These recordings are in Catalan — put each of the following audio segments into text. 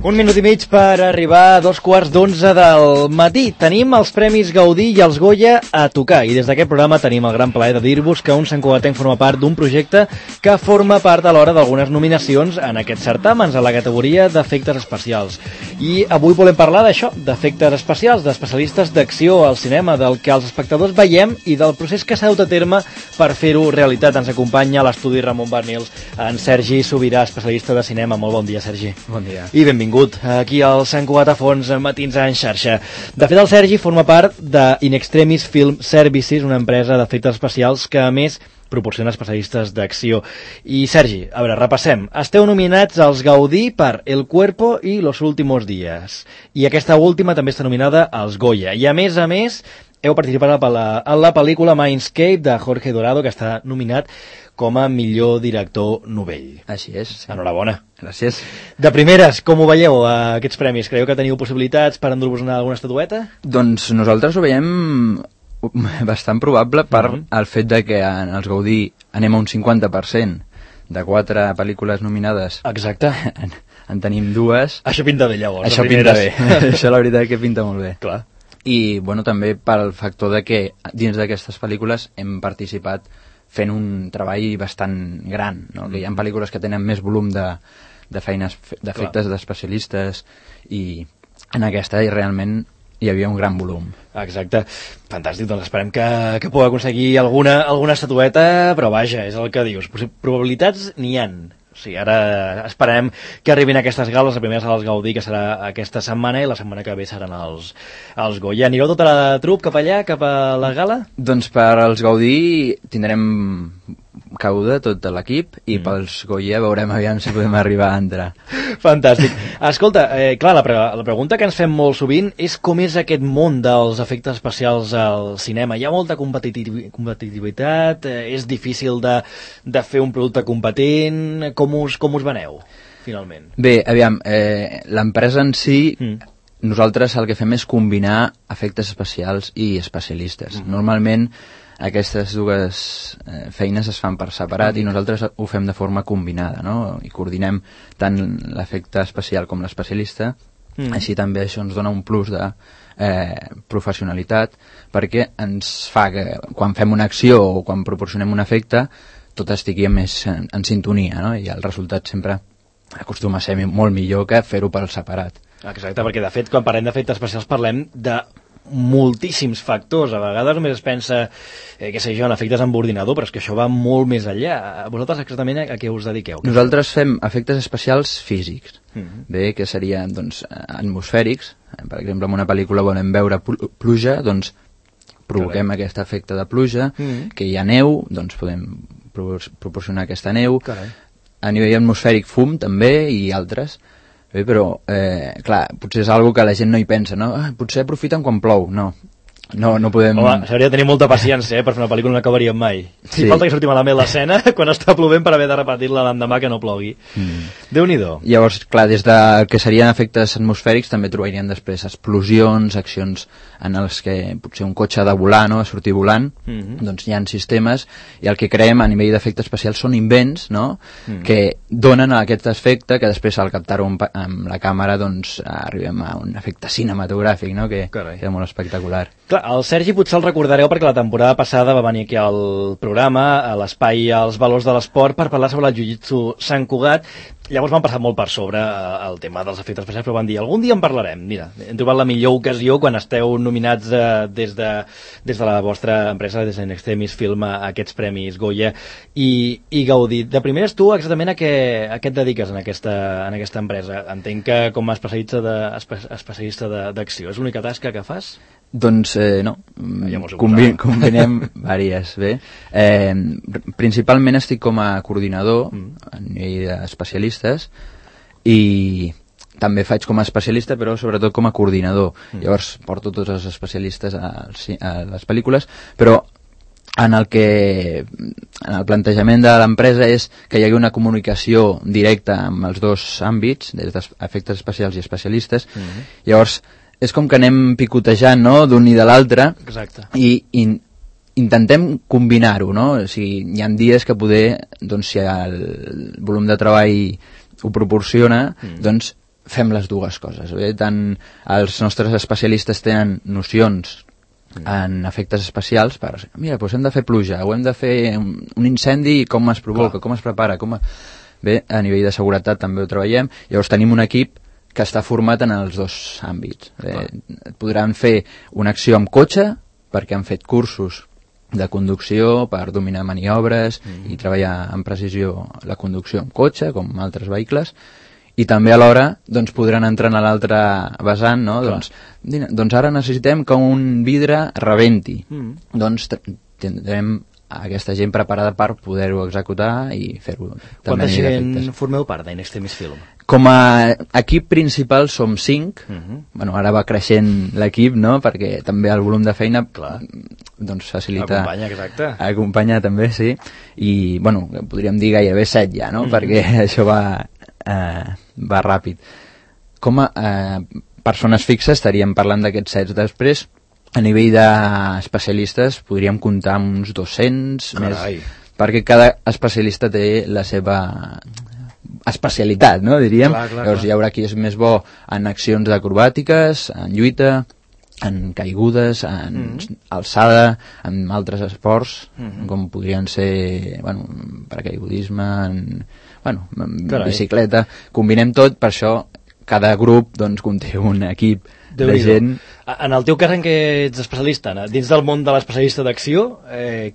Un minut i mig per arribar a 11:15 del matí. Tenim els Premis Gaudí i els Goya a tocar i des d'aquest programa tenim el gran plaer de dir-vos que un santcugatenc forma part d'un projecte que forma part alhora d'algunes nominacions en aquests certàmens a la categoria d'efectes especials. I avui volem parlar d'això, d'efectes especials, d'especialistes d'acció al cinema, del que els espectadors veiem i del procés que s'ha dut a terme per fer-ho realitat. Ens acompanya a l'estudi Ramon Barnils en Sergi Sobirà, especialista de cinema. Molt bon dia, Sergi. Bon dia. I benvingut aquí al Sant Cugat a Fons Matins en xarxa. De fet, el Sergi forma part de In Extremis Film Services, una empresa d'efectes especials que, a més, proporciona especialistes d'acció. I, Sergi, a veure, repassem. Esteu nominats als Gaudí per El Cuerpo i Los Últimos Días. I aquesta última també està nominada als Goya. I, a més, heu participat a la pel·lícula Mindscape de Jorge Dorado, que està nominat com a millor director novell. Així és. Enhorabona. Gràcies. De primeres, com ho veieu, aquests premis? Creieu que teniu possibilitats per endur-vos alguna estatueta? Doncs nosaltres ho veiem bastant probable per el fet de que en els Gaudí anem a un 50% de 4 pel·lícules nominades. Exacte. En tenim 2. Això pinta bé, llavors. Això pinta bé. Això la veritat que pinta molt bé. Clar. I, bueno, també pel factor de que dins d'aquestes pel·lícules hem participat fent un treball bastant gran, no? Que hi ha pel·lícules que tenen més volum de feines, d'efectes d'especialistes, i en aquesta realment hi havia un gran volum. Exacte. Fantàstic, doncs esperem que puc aconseguir alguna estatueta, però vaja, és el que dius. Probabilitats n'hi ha. O sigui, ara esperem que arribin aquestes gales, la primera serà els Gaudí, que serà aquesta setmana, i la setmana que ve seran els Goya. Anireu tota la trup cap allà, cap a la gala? Doncs per als Gaudí tindrem cauda tot l'equip, i pels Goya veurem aviam si podem arribar a entrar. Fantàstic. Escolta, clar, la pregunta que ens fem molt sovint és com és aquest món dels efectes especials al cinema. Hi ha molta competitivitat, és difícil de fer un producte competent. Com us veneu, finalment? Bé, aviam, l'empresa en si, nosaltres el que fem és combinar efectes especials i especialistes. Normalment aquestes dues feines es fan per separat i nosaltres ho fem de forma combinada, no? I coordinem tant l'efecte especial com l'especialista. Així també això ens dona un plus de professionalitat, perquè ens fa que quan fem una acció o quan proporcionem un efecte tot estigui més en sintonia, no? I el resultat sempre acostuma a ser molt millor que fer-ho per separat. Exacte, perquè de fet quan parlem d'efectes especials parlem de moltíssims factors. A vegades només es pensa, què sé jo, en efectes amb ordinador, però és que això va molt més enllà. Vosaltres exactament a què us dediqueu? Nosaltres fem efectes especials físics, bé, que serien doncs, atmosfèrics. Per exemple, en una pel·lícula volem veure pluja, doncs provoquem aquest efecte de pluja, que hi ha neu, doncs podem proporcionar aquesta neu. A nivell atmosfèric, fum també, i altres. Bé, però, clar, potser és algo que la gent no hi pensa, no? Potser aprofiten quan plou. No podem... Home, s'hauria de tenir molta paciència, per fer una pel·lícula no acabaríem mai. Si falta que surti malament l'escena quan està plovent per haver de repetir-la l'endemà que no plogui. Déu-n'hi-do. Llavors, clar, des de que serien efectes atmosfèrics també trobarien després explosions, accions en els que potser un cotxe ha de volar, no?, a sortir volant, doncs hi ha sistemes, i el que creem a nivell d'efectes especials són invents, no?, que donen aquest efecte que després al captar-ho amb la càmera doncs arribem a un efecte cinematogràfic, no?, que queda molt espectacular. Clar, el Sergi potser el recordareu perquè la temporada passada va venir aquí al programa, a l'espai Els Valors de l'Esport, per parlar sobre el jiu-jitsu Sant Cugat. Llavors van passar molt per sobre el tema dels efectes especials, però van dir, algun dia en parlarem. Mira, hem trobat la millor ocasió quan esteu nominats des de la vostra empresa, des d'In Extremis Film, a aquests premis Goya i Gaudí. De primeres, tu exactament a què et dediques en aquesta empresa? Entenc que com a especialista d'acció. És l'única tasca que fas? Doncs no, combinem diverses, bé. Principalment estic com a coordinador a nivell d'especialistes, i també faig com a especialista, però sobretot com a coordinador. Llavors porto tots els especialistes a les pel·lícules, però en el plantejament de l'empresa és que hi hagi una comunicació directa amb els dos àmbits, des d'efectes especials i especialistes. Llavors és com que anem picotejant, no?, d'un i de l'altre, i intentem combinar-ho, no? O sigui, hi ha dies que poder, doncs, si el volum de treball ho proporciona, doncs fem les dues coses. Bé? Tant els nostres especialistes tenen nocions en efectes especials mira, doncs hem de fer pluja, o hem de fer un incendi, com es provoca, com es prepara, Bé, a nivell de seguretat també ho treballem. Llavors tenim un equip que està format en els dos àmbits. Podran fer una acció amb cotxe, perquè han fet cursos de conducció per dominar maniobres i treballar amb precisió la conducció amb cotxe, com altres vehicles, i també alhora doncs, podran entrar a l'altre vessant, no? Doncs ara necessitem que un vidre rebenti. Doncs tindrem aquesta gent preparada per poder-ho executar i fer-ho. Quanta gent formeu part d'In Extremis Film? Com a equip principal som 5. Bueno, ara va creixent l'equip, no? Perquè també el volum de feina doncs facilita... Acompanya també, sí. I, bueno, podríem dir gairebé 7 ja, no? Perquè això va ràpid. Com a persones fixes estaríem parlant d'aquests 7. Després, a nivell d'especialistes podríem comptar amb uns 200 més, perquè cada especialista té la seva especialitat, no? Diríem. Llavors hi haurà qui és més bo en accions acrobàtiques, en lluita, en caigudes, en alçada, en altres esports, com podrien ser paracaigudisme, en bicicleta. Combinem tot, per això cada grup doncs, conté un equip de gent. En el teu cas en què ets especialista, dins del món de l'especialista d'acció,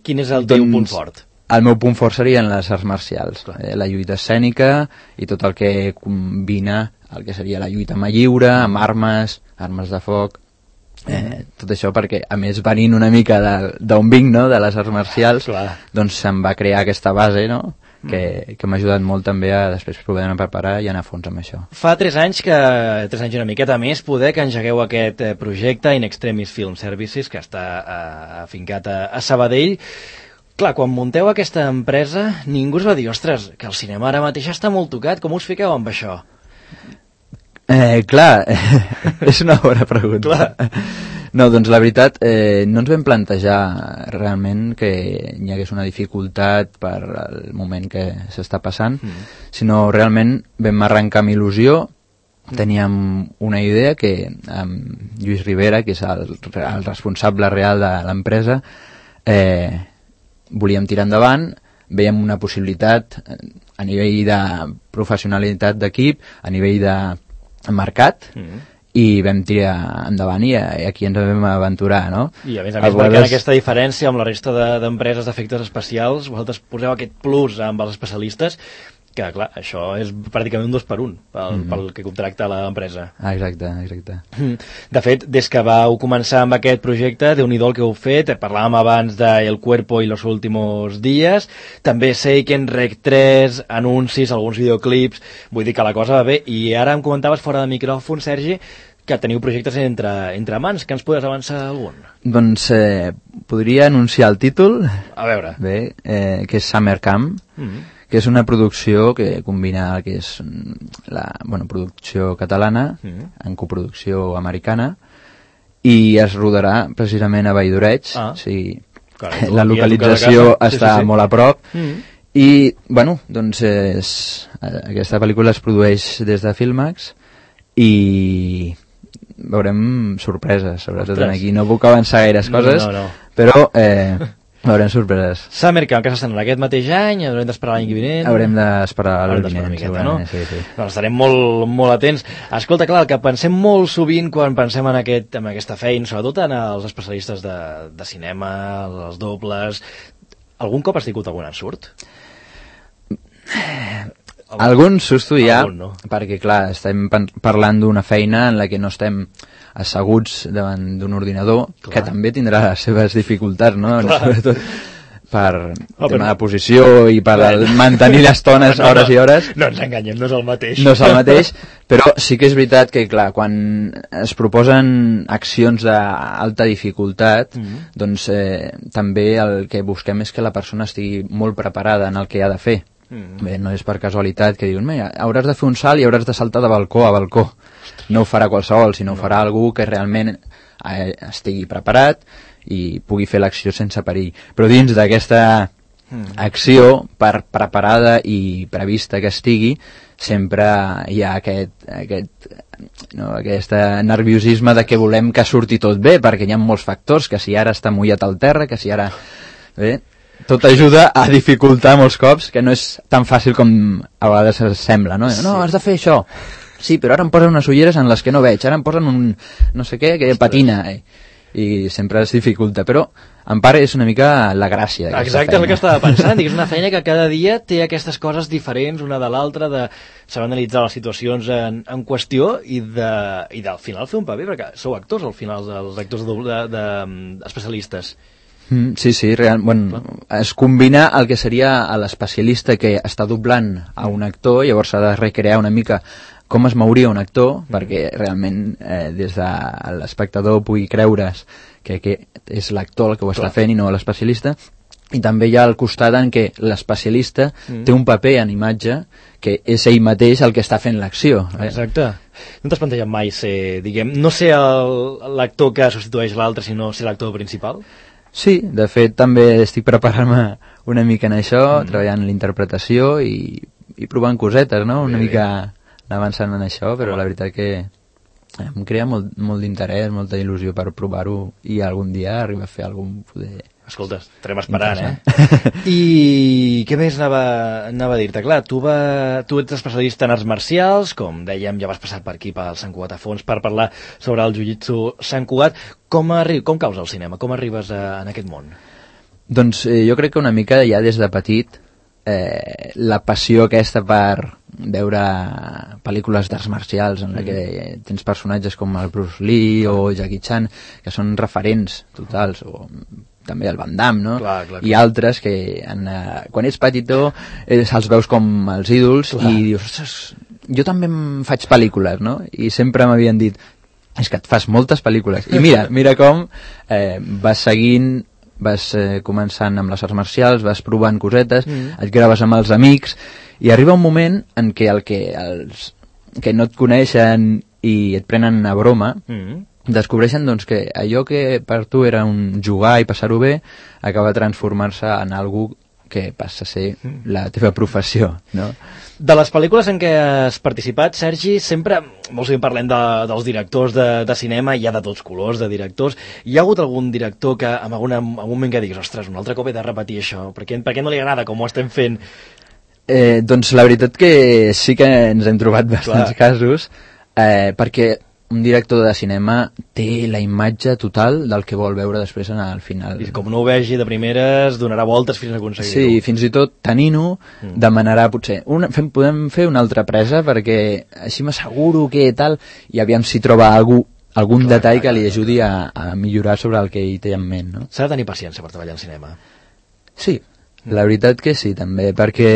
quin és el teu punt fort? El meu punt fort serien les arts marcials, la lluita escènica i tot el que combina el que seria la lluita mà lliure, amb armes de foc, tot això perquè, a més, venint una mica d'on vinc, no?, de les arts marcials, doncs se'm va crear aquesta base, no?, que m'ha ajudat molt també a després poder preparar i anar a fons amb això. Fa 3 anys i una miqueta més, poder que engegueu aquest projecte In Extremis Film Services, que està afincat a Sabadell. Clar, quan munteu aquesta empresa, ningú us va dir, ostres, que el cinema ara mateix està molt tocat, com us fiqueu amb això? Clar, és una bona pregunta. No, doncs la veritat, no ens vam plantejar realment que hi hagués una dificultat per el moment que s'està passant, sinó realment vam arrencar amb il·lusió. Teníem una idea que amb Lluís Rivera, que és el responsable real de l'empresa, volíem tirar endavant, veiem una possibilitat a nivell de professionalitat d'equip, a nivell de mercat, i vam tirar endavant i aquí ens vam aventurar, no? I a més marcant aquesta diferència amb la resta d'empreses d'efectes especials, vosaltres poseu aquest plus amb els especialistes, que clar, això és pràcticament un 2 per 1 pel que contracta l'empresa. Exacte. De fet, des que vau començar amb aquest projecte, Déu-n'hi-do el que heu fet, parlàvem abans de El Cuerpo y los últimos días, també Seiken, Rec 3, anuncis, alguns videoclips, vull dir que la cosa va bé, i ara em comentaves fora de micròfon, Sergi, que teniu projectes entre mans, que ens podries avançar algun? Doncs podria anunciar el títol, a veure, bé, que és Summer Camp, que és una producció que combina el que és la producció catalana en coproducció americana, i es rodarà precisament a Valldoreig. La localització està molt a prop, i doncs aquesta pel·lícula es produeix des de Filmax i veurem sorpreses, sobretot aquí. No puc avançar gaires coses, però veurem sorpreses. Summer Camp, que s'estrenarà aquest mateix any, haurem d'esperar l'any vinent. Haurem d'esperar l'any vinent, segurament, no? Sí. Doncs estarem molt atents. Escolta, clar, el que pensem molt sovint quan pensem en aquesta feina, sobretot en els especialistes de cinema, els dobles, algun cop has tingut algun ensurt? Algun susto hi ha, perquè clar, estem parlant d'una feina en la que no estem asseguts davant d'un ordinador, que també tindrà les seves dificultats, no? Sobretot per tema de posició i per mantenir l'estones hores i hores. No ens enganyem, no és el mateix. No és el mateix, però sí que és veritat que, clar, quan es proposen accions d'alta dificultat, doncs també el que busquem és que la persona estigui molt preparada en el que ha de fer. Bé, no és per casualitat que diuen, mira, hauràs de fer un salt i hauràs de saltar de balcó a balcó. No ho farà qualsevol, sinó ho farà algú que realment estigui preparat i pugui fer l'acció sense perill. Però dins d'aquesta acció, per preparada i prevista que estigui, sempre hi ha aquest nerviosisme de que volem que surti tot bé, perquè hi ha molts factors, que si ara està mullat al terra, que si ara... Bé, tot ajuda a dificultar molts cops, que no és tan fàcil com a vegades sembla, no? No, has de fer això. Sí, però ara em posen unes ulleres en les que no veig, ara em posen un no sé què que patina, i sempre es dificulta, però en part és una mica la gràcia d'aquesta feina. Exacte, és el que estava pensant, és una feina que cada dia té aquestes coses diferents una de l'altra, de saber analitzar les situacions en qüestió i al final fer un paper, perquè sou actors al final, els actors especialistes. Sí, bueno, es combina el que seria l'especialista que està doblant a un actor, llavors s'ha de recrear una mica com es mouria un actor, perquè realment des de l'espectador pugui creure's que és l'actor el que ho està fent i no l'especialista, i també hi ha el costat en què l'especialista té un paper en imatge que és ell mateix el que està fent l'acció. Exacte. No t'has plantejat mai ser, no ser l'actor que substitueix l'altre, sinó ser l'actor principal? Sí, de fet també estic preparant-me una mica en això, treballant en l'interpretació i provant cosetes, no? Una mica avançant en això, però la veritat que em crea molt d'interès, molta il·lusió per provar-ho i algun dia arribar a fer algun poder... Escolta, estarem esperant, I què més anava a dir-te? Clar, tu ets especialista en arts marcials, com dèiem, ja vas passar per aquí, pel Sant Cugat a fons, per parlar sobre el jiu-jitsu Sant Cugat. Com caus al cinema? Com arribes en aquest món? Doncs jo crec que una mica ja des de petit la passió aquesta per veure pel·lícules d'arts marcials en la que tens personatges com el Bruce Lee o Jackie Chan, que són referents totals, o també el Van Damme, no? Clar. I altres que quan ets petitó els veus com els ídols i dius, ostres, jo també em faig pel·lícules, no? I sempre m'havien dit, és que et fas moltes pel·lícules. I mira com vas seguint, vas començant amb les arts marcials, vas provant cosetes, et graves amb els amics, i arriba un moment en què els que no et coneixen i et prenen a broma, descobreixen doncs, que allò que per tu era un jugar i passar-ho bé acaba de transformar-se en algú que passa a ser la teva professió, no? De les pel·lícules en què has participat, Sergi, sempre, molt sovint parlem dels directors de cinema, hi ha de tots colors de directors. Hi ha hagut algun director que en algun moment que diguis, ostres, un altre cop he de repetir això, per què no li agrada com ho estem fent? Doncs la veritat que sí que ens hem trobat bastants casos, perquè un director de cinema té la imatge total del que vol veure després al final. I com no ho vegi de primeres, donarà voltes fins a aconseguir-ho. Sí, fins i tot tenint-ho, demanarà potser podem fer una altra presa perquè així m'asseguro que tal, i aviam si troba algun detall que li ajudi a millorar sobre el que ell té en ment, no? S'ha de tenir paciència per treballar en cinema. Sí, la veritat que sí, també, perquè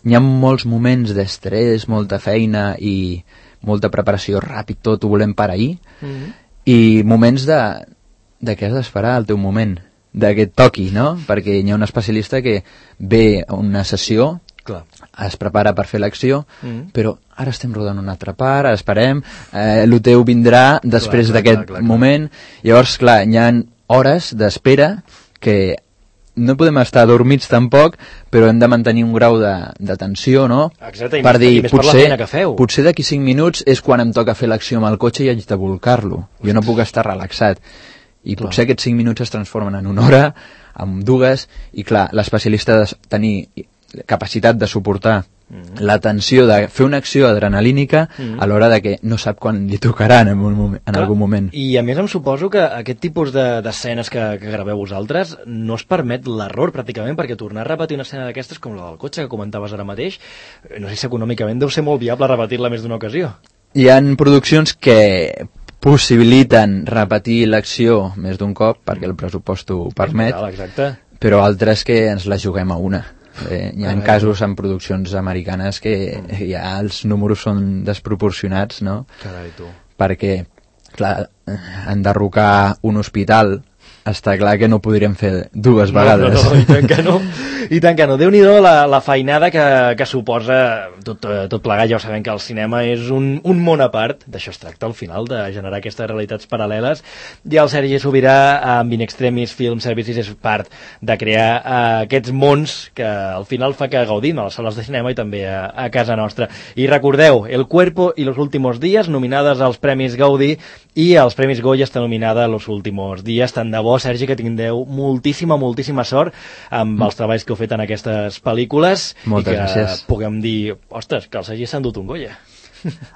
hi ha molts moments d'estrès, molta feina i molta preparació, ràpid, tot ho volem per ahir, i moments de que has d'esperar el teu moment, de que et toqui, no? Perquè hi ha un especialista que ve a una sessió, es prepara per fer l'acció, però ara estem rodant una altra part, esperem, el teu vindrà després d'aquest moment, llavors, clar, hi ha hores d'espera que no podem estar adormits tampoc, però hem de mantenir un grau de tensió, no? Exacte, per dir, potser d'aquí 5 minuts és quan em toca fer l'acció amb el cotxe i haig de volcar-lo. Jo no puc estar relaxat. I potser aquests 5 minuts es transformen en una hora, en 2, i clar, l'especialista ha de tenir capacitat de suportar la tensió de fer una acció adrenalínica a l'hora de que no sap quan li tocarà en algun moment. I a més em suposo que aquest tipus d'escenes que graveu vosaltres no es permet l'error pràcticament, perquè tornar a repetir una escena d'aquestes com la del cotxe que comentaves ara mateix, no sé si econòmicament deu ser molt viable repetir-la més d'una ocasió. Hi ha produccions que possibiliten repetir l'acció més d'un cop perquè el pressupost ho permet, però altres que ens la juguem a una. Hi ha casos en produccions americanes que ja els números són desproporcionats, no? Carai, tu. Perquè, clar, enderrocar un hospital està clar que no ho podríem fer dues vegades. No, i tant que no. I tant que no. Déu-n'hi-do la feinada que suposa tot plegat. Ja ho sabem que el cinema és un món a part. D'això es tracta al final, de generar aquestes realitats paral·leles. I el Sergi Sobirà, amb In Extremis Film Services, és part de crear aquests mons que al final fa que gaudim a les sales de cinema i també a casa nostra. I recordeu, El Cuerpo y Los Últimos Días, nominades als Premis Gaudí, i als Premis Goya està nominada Los Últimos Días. Tant de bo, Sergi, que tingueu moltíssima sort amb els treballs que heu fet en aquestes pel·lícules. Moltes i que gràcies. Puguem dir, ostres, que el Sergi s'ha endut un Goya.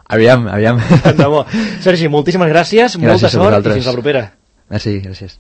Aviam. Tant de bo. Sergi, moltíssimes gràcies, molta sort i fins la propera. Merci, gràcies.